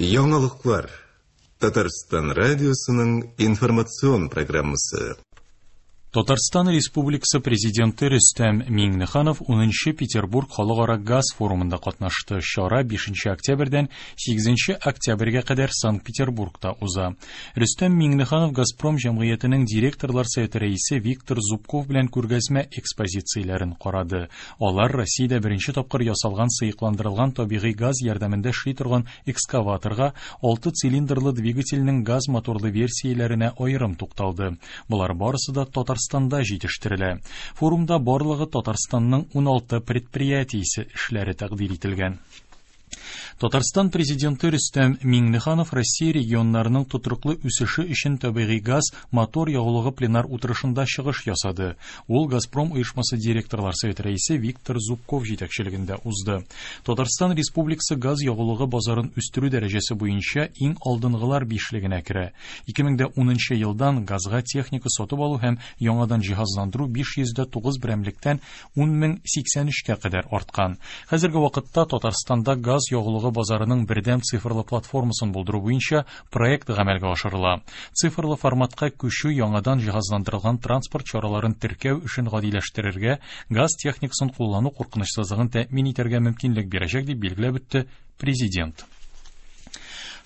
Яңалыклар. Татарстан радиосының информацион программасы. Татарстан Республикасы Президенты Рөстәм Миңнеханов 10 Петербург халыкара газ форумында катнашты. Чара 5 октябрьдән 8 октябрьгә кадәр Санкт-Петербургта уза. Рөстәм Миңнеханов Газпром җәмгыятенең директорлар советы рәисе Виктор Зубков белән күргәзмә экспозицияләрен карады. Алар Россиядә беренче тапкыр ясалган сыекландырылган табигый газ ярдәмендә эшли торган экскаваторга, 6 цилиндрлы двигательнең газ моторлы версияләренә аерым тукталды. Болар барысы да Татарстанда җитештерелә. Форумда барлыгы Татарстанның 16 предприятиесе эшләре тәкъдир ителгән. Татарстан Президенты Рөстәм Миңнеханов Россия регионнарының тотрыклы үсеше өчен табигый газ мотор ягулыгы пленар утырышында чыгыш ясады. Ул Газпром оешмасы директорлар советы рәисе Виктор Зубков җитәкчелегендә узды. Татарстан Республикасы газ ягулыгы базарын үстерү дәрәҗәсе буенча иң алдынгылар бишлегенә керә. 2010 елдан газга техника сатып алу һәм яңадан җиһазландыру 509 берәмлектән 10083-кә кадәр арткан. Хәзерге вакытта Татарстанда газ ягулыгы базарының бердәм цифрлы платформасын булдыру буенча проект гамәлгә ашырыла. Цифрлы форматка күчү яңадан җиһазландырылган транспорт чараларын теркәү эшен гадиләштерергә, газ техникасын куллану куркынычсызлыгын тәэмин итәргә мөмкинлек бирәчәк, дип билгеләп үтте президент.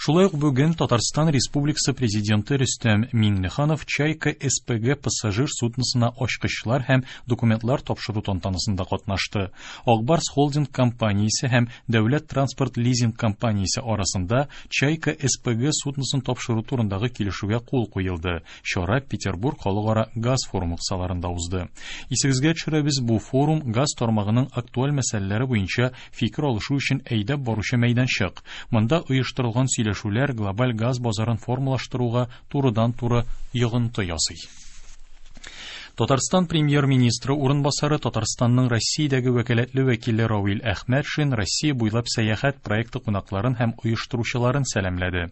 Шулай ук бүген Татарстан Республикасы Президенты Рөстәм Миңнеханов Чайка СПГ пассажир судносына ачкычлар һәм документлар тапшыру тантанасында катнашты. Акбарс холдинг компаниясе һәм Дәүләт транспорт лизинг компаниясе арасында Чайка СПГ судносын тапшыру турындагы килешүгә кул куелды. Чара Петербург халыкара газ форумы кысаларында узды. Исегезгә төшерәбез, бу форум газ тармагының актуаль мәсьәләләре буенча фикер алышу өчен әйдәп баручы мәйданчык. Монда оештырылган сөйләшүләр глобаль газ базарын формалаштыруга турыдан-туры йогынты ясый. Татарстан премьер-министры урынбасары Татарстанның Россиядәге вәкаләтле вәкиле Равил Әхмәтшин Россия буйлап сәяхәт проекты кунакларын һәм оештыручыларын сәламләде.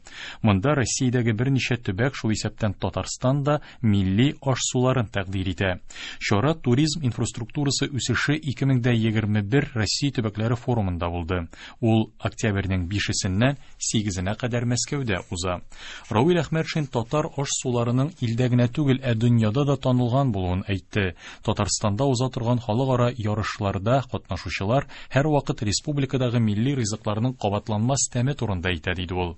Монда Россиядәге берничә төбәк, шул исәптән Татарстан да милли аш-суларын тәкъдир итә. Чара туризм инфраструктурасы үсеше 2021 Россия төбәкләре форумында булды. Ул октябрьнең 5-сеннән 8-енә кадәр Мәскәүдә уза. Равил Әхмәтшин татар аш-суларының илдә генә түгел, ә дөньяда да танылган булуын әйтте. Татарстанда уза торган халыкара ярышларда катнашучылар һәрвакыт республикадагы милли ризыкларның кабатланмас тәме турында әйтә, диде ул.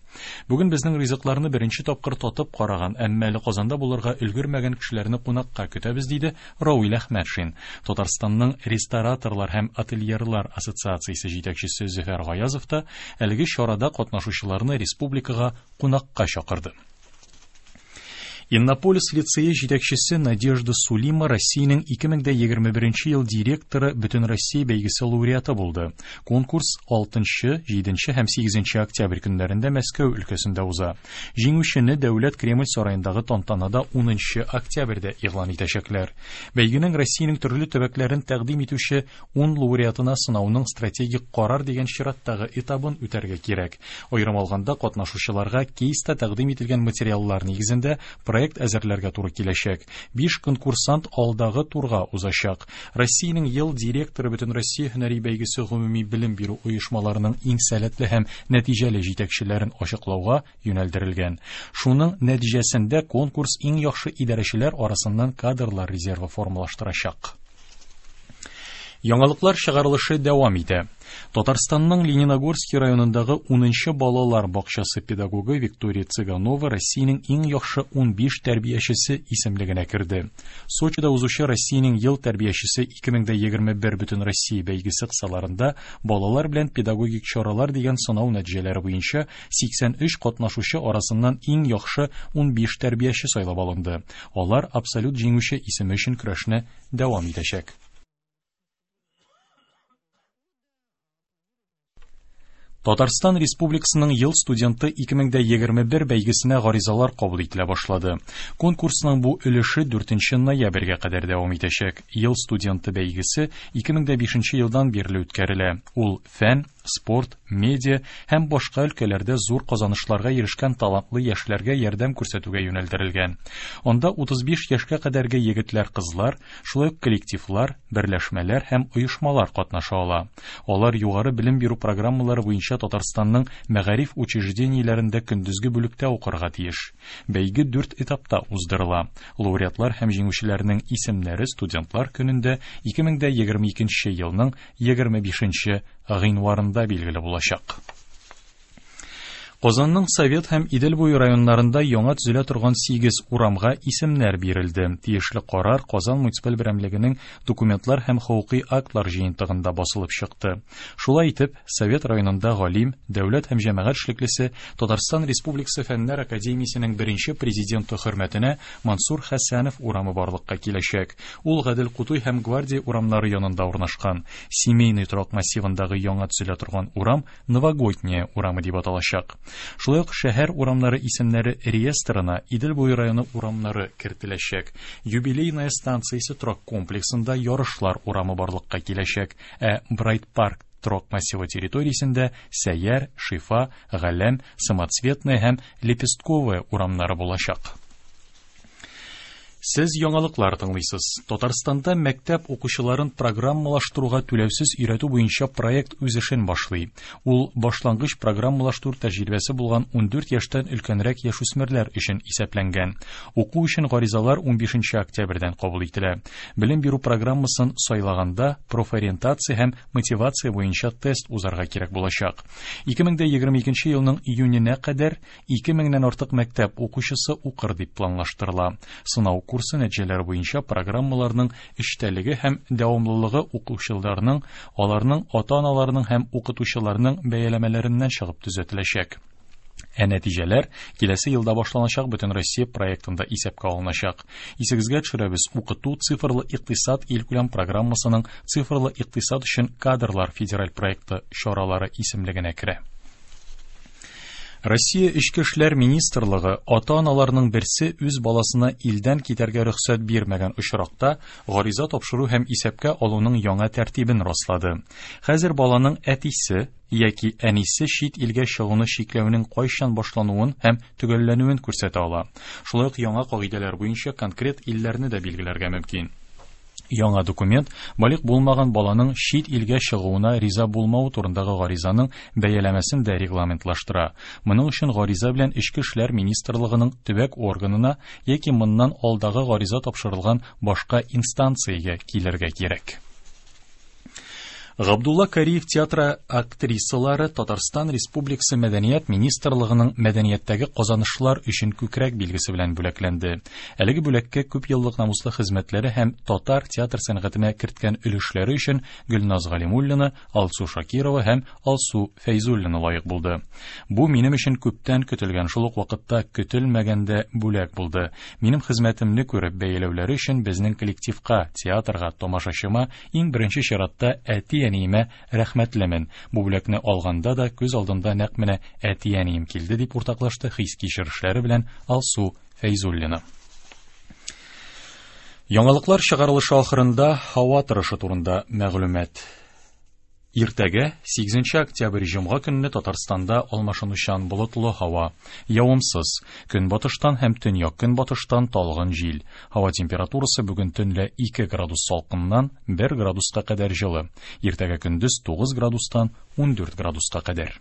Бүген безнең ризыкларны беренче тапкыр татып караган, әмма әле Казанда булырга өлгермәгән кешеләрне кунакка көтәбез, диде Равил Әхмәтшин. Татарстанның рестораторлар һәм отельерлар ассоциациясе җитәкчесе Зөфәр Гаязов та әлеге чарада катнашучыларны республикага кунакка чакырды. Иннополис лицее җитәкчесе Надежда Сулима Россиянең 2021 ел директоры Бөтенроссия бәйгесе лауреаты булды. Конкурс 6, 7 һәм 8 октябрь көннәрендә Мәскәү өлкәсендә уза. Җиңүчене Дәүләт Кремль сараендагы тантанада 10 октябрьдә игълан итәчәкләр. Бәйгенең Россиянең төрле төбәкләрен тәкъдим итүче 10 лауреатына сынауның стратегик карар дигән чираттагы этабын үтәргә кирәк. Аерым алганда, катнашучыларга кейста тәкъдим ителгән материаллар нигезендә проект әзерләргә туры киләчәк. 5 конкурсант алдагы турга узачак. Россиянең ел директоры Бөтенроссия һөнәри бәйгесе гомуми белем бирү оешмаларының иң сәләтле һәм нәтиҗәле җитәкчеләрен ачыклауга юнәлдерелгән. Шуның нәтиҗәсендә конкурс иң яхшы идарәчеләр арасыннан кадрлар резервы формалаштырачак. Яңалыклар чыгарылышы дәвам итә. Татарстанның Лениногорский районындагы 10 балалар бакчасы педагогы Виктория Цыганова Россиянең иң яхшы 15 тәрбиячесе исемлегенә керде. Сочида узучы Россиянең ел тәрбиячесе 2021 Бөтенроссия бәйгесе кысаларында балалар белән педагогик чаралар дигән сынау нәтиҗәләре буенча 83 катнашучы арасыннан иң яхшы 15 тәрбияче сайлап алынды. Алар абсолют җиңүче исеме өчен көрәшне дәвам итәчәк. Татарстан Республикасының ел студенты 2021 бәйгесенә гаризалар кабул ителә башлады. Конкурсның бу өлеше 4 ноябрьгә кадәр дәвам итәчәк. Ел студенты бәйгесе 2005 елдан бирле үткәрелә. Ул фән, спорт, медиа һәм башка өлкәләрдә зур казанышларга ирешкән талантлы яшьләргә ярдәм күрсәтүгә юнәлдерелгән. Анда 35 яшькә кадәрге егетләр-кызлар, шулай ук коллективлар, берләшмәләр һәм оешмалар катнаша ала. Алар югары белем бирү программалары буенча Татарстанның мәгариф учреждениеләрендә көндезге бүлектә укырга тиеш. Бәйге дүрт этапта уздырыла. Лауреатлар һәм җиңүчеләрнең исемнәре студентлар көнендә 2022 елның 25 гыйнварында билгеле булачак. Казанның Совет һәм Идел буе районнарында яңа төзелә торган 8 урамга исемнәр бирелде. Тиешле карар Казан муниципаль берәмлегенең документлар һәм хокукый актлар җыентыгында басылып чыкты. Шулай итеп, Совет районында галим, дәүләт һәм җәмәгать эшлеклесе, Татарстан Республикасы Фәннәр академиясенең беренче президенты хөрмәтенә Мансур Хәсәнов урамы барлыкка киләчәк. Ул Гадел Кутуй һәм Гвардия урамнары янында урнашкан. Семейный торак массивындагы яңа төзелә торган урам Новогодняя урамы дип аталачак. Шулай ук шәһәр урамнары исемнәре реестрына Идел буе районы урамнары кертеләчәк. Юбилейная станциясе торак комплексында Ярышлар урамы барлыкка киләчәк, ә Брайт Парк торак массивы территориясендә Сәйяр, Шифа, Галәм, Самоцветная һәм Лепестковая урамнары булачак. Сез яңалыклар тыңлыйсыз. Татарстанда мәктәп укучыларын программалаштыруга түләүсез өйрәтү буенча проект үз эшен башлый. Ул башлангыч программалаштыру тәҗрибәсе булган 14 яшьтән өлкәнрәк яшүсмерләр өчен исәпләнгән. Уку өчен гаризалар 15 октябрьдән кабул ителә. Белем бирү программасын сайлаганда профориентация һәм мотивация буенча тест узарга кирәк булачак. 2022 елның июненә кадәр 2000-нән артык мәктәп укучысы укыр дип планлаштырыла. Сынау курсы нәтиҗәләре буенча программаларның эчтәлеге һәм дәвамлылыгы укучыларның, аларның ата-аналарының һәм укытучыларның бәяләмәләреннән чыгып төзәтеләчәк. Ә нәтиҗәләр киләсе елда башланачак Бөтенроссия проектында исәпкә алыначак. Исегезгә төшерәбез, укыту цифрлы икътисад илкүләм программасының цифрлы икътисад өчен кадрлар федераль проекты чаралары исемлегенә керә. Россия Эчке эшләр министрлыгы ата-аналарның берсе үз баласына илдән китәргә рөхсәт бирмәгән очракта гариза тапшыру һәм исәпкә алуның яңа тәртибен раслады. Хәзер баланың әтисе яки әнисе чит илгә чыгуны чикләүнең кайчан башлануын һәм төгәлләнүен күрсәтә ала. Шулай ук яңа кагыйдәләр буенча конкрет илләрне дә билгеләргә мөмкин. Яңа документ балигъ булмаган баланың чит илгә чыгуына риза булмавы турындагы гаризаның бәяләмәсен дә регламентлаштыра. Моның өчен гариза белән Эчке эшләр министрлыгының төбәк органына яки моннан алдагы гариза тапшырылган башка инстанциягә килергә кирәк. Габдулла Кариев театры актрисалары Татарстан Республикасы Мәдәният министрлыгының мәдәнияттәге казанышлар өчен күкрәк билгесе белән бүләкләнде. Әлеге бүләккә күп еллык намуслы хезмәтләре һәм татар театр сәнгатенә керткән өлешләре өчен Гөлназ Галимуллина, Алсу Шакирова һәм Алсу Фәйзуллина лаек булды. Бу минем өчен күптән көтелгән, шул ук вакытта көтелмәгәндә бүләк булды. Минем хезмәтемне күреп бәяләүләре өчен безнең коллективка, театрга, тамашачыма иң беренче чиратта әти-әниемә рәхмәтлемен. Бу бүләкне алганда да күз алдында нәкъ менә әти-әнием килде, дип уртаклашты хис-кичерешләре белән Алсу Фәйзуллина. Яңалыклар чыгарылышы ахырында һава торышы турында мәгълүмат. Иртәгә, 8 октябрь җомга көнне Татарстанда алмашынучан болытлы һава, явымсыз, көнбатыштан һәм төньяк-көнбатыштан талгын җил. Һава температурасы бүген төнлә 2 градус салкыннан 1 градуска кадәр җылы. Иртәгә көндез 9 градустан 14 градуска кадәр.